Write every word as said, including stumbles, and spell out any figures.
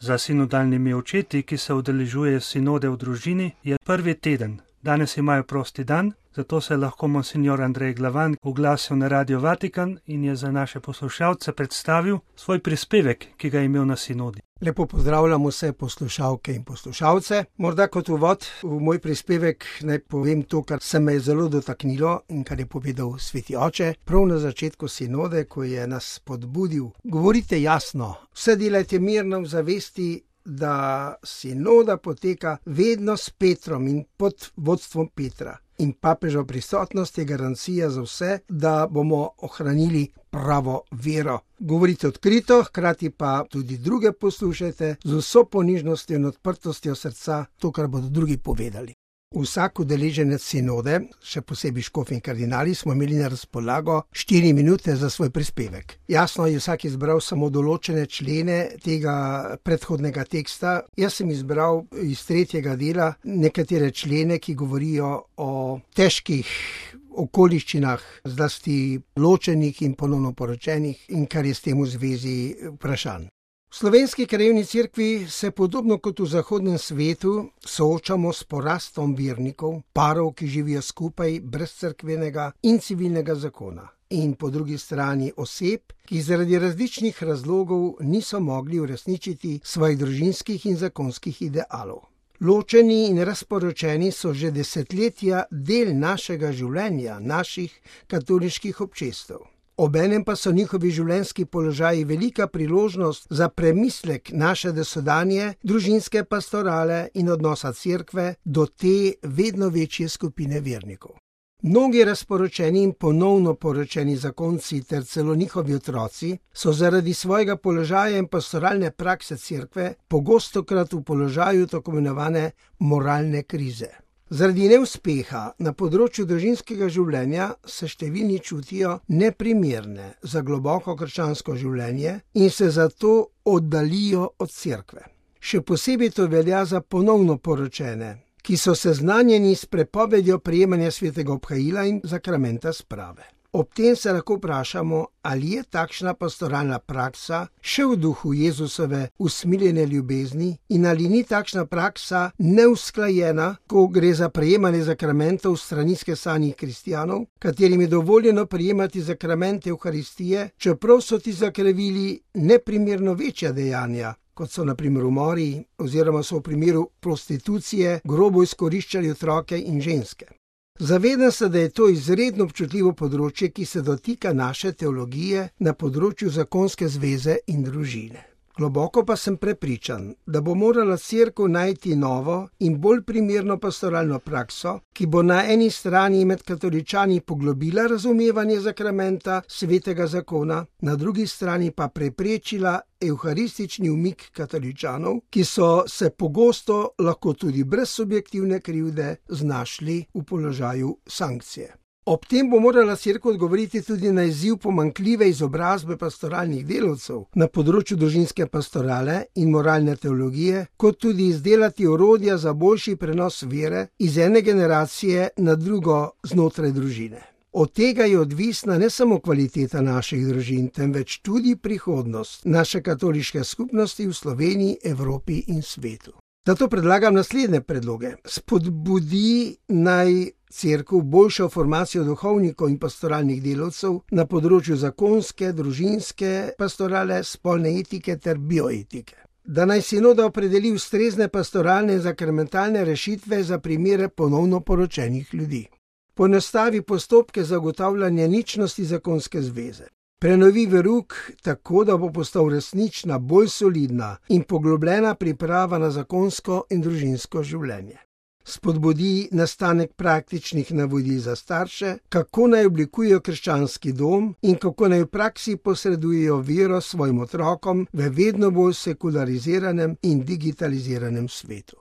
Za sinodalnimi očeti, ki se udeležujejo sinode v družini, je prvi teden. Danes imajo prosti dan, zato se je lahko monsignor Andrej Glavan oglasil na Radio Vatikan in je za naše poslušalce predstavil svoj prispevek, ki ga je imel na sinodi. Lepo pozdravljam vse poslušalke in poslušalce. Morda kot uvod v moj prispevek naj povem to, kar se me je zelo dotaknilo in kar je povedal sveti oče prav na začetku sinode, ko je nas spodbudil. Govorite jasno, vse delajte mirno v zavesti, da sinoda poteka vedno s Petrom in pod vodstvom Petra. In papežova prisotnost je garancija za vse, da bomo ohranili pravo vero. Govorite odkrito, hkrati pa tudi druge poslušajte z vso ponižnostjo in odprtostjo srca to, kar bodo drugi povedali. Vsak udeleženec sinode, še posebej škof in kardinali, smo imeli na razpolago štiri minute za svoj prispevek. Jasno je vsak izbral samo določene člene tega predhodnega teksta. Jaz sem izbral iz tretjega dela nekatere člene, ki govorijo o težkih okoliščinah, zlasti ločenih in ponovno poročenih in kar je s tem v zvezi vprašanj. V slovenski krajevni cerkvi se podobno kot v zahodnem svetu soočamo s porastom vernikov, parov, ki živijo skupaj brez cerkvenega in civilnega zakona. In po drugi strani oseb, ki zaradi različnih razlogov niso mogli uresničiti svojih družinskih in zakonskih idealov. Ločeni in razporočeni so že desetletja del našega življenja, naših katoliških občestev. Obenem pa so njihovi življenjski položaji velika priložnost za premislek naše dosodanje družinske pastorale in odnosa cerkve do te vedno večje skupine vernikov. Mnogi razporočeni in ponovno poročeni zakonci ter celo njihovi otroci so zaradi svojega položaja in pastoralne prakse cerkve pogostokrat v položaju tako imenovane moralne krize. Zaradi neuspeha na področju družinskega življenja se številni čutijo neprimerne za globoko krščansko življenje in se zato oddalijo od cerkve. Še posebej to velja za ponovno poročene, ki so seznanjeni s prepovedjo prejemanja svetega obhajila in sakramenta sprave. Ob tem se lahko vprašamo, ali je takšna pastoralna praksa še v duhu Jezusove usmiljene ljubezni in ali ni takšna praksa neusklajena, ko gre za prejemanje zakramentov strani skesanih kristjanov, katerim je dovoljeno prejemati zakramente Evharistije, čeprav so ti zakrevili neprimerno večja dejanja, kot so na primer umori oziroma so v primeru prostitucije grobo izkoriščali otroke in ženske. Zavedam se, da je to izredno občutljivo področje, ki se dotika naše teologije na področju zakonske zveze in družine. Globoko pa sem prepričan, da bo morala cerkev najti novo in bolj primerno pastoralno prakso, ki bo na eni strani med katoličani poglobila razumevanje zakramenta svetega zakona, na drugi strani pa preprečila evharistični umik katoličanov, ki so se pogosto lahko tudi brez subjektivne krivde znašli v položaju sankcije. Ob tem bo morala cerkev odgovoriti tudi na izziv pomanjkljive izobrazbe pastoralnih delavcev na področju družinske pastorale in moralne teologije, kot tudi izdelati orodja za boljši prenos vere iz ene generacije na drugo znotraj družine. Od tega je odvisna ne samo kvaliteta naših družin, temveč tudi prihodnost naše katoliške skupnosti v Sloveniji, Evropi in svetu. Zato predlagam naslednje predloge. Spodbudi naj cerkev boljšo formacijo duhovnikov in pastoralnih delavcev na področju zakonske, družinske pastorale, spolne etike ter bioetike. Da naj sinoda opredeli ustrezne pastoralne in zakramentalne rešitve za primere ponovno poročenih ljudi. Poenostavi postopke zagotavljanja ničnosti zakonske zveze. Prenovi verouk tako, da bo postal resnična, bolj solidna in poglobljena priprava na zakonsko in družinsko življenje. Spodbudi nastanek praktičnih navodil za starše, kako naj oblikujejo krščanski dom in kako naj v praksi posredujejo vero svojim otrokom v vedno bolj sekulariziranem in digitaliziranem svetu.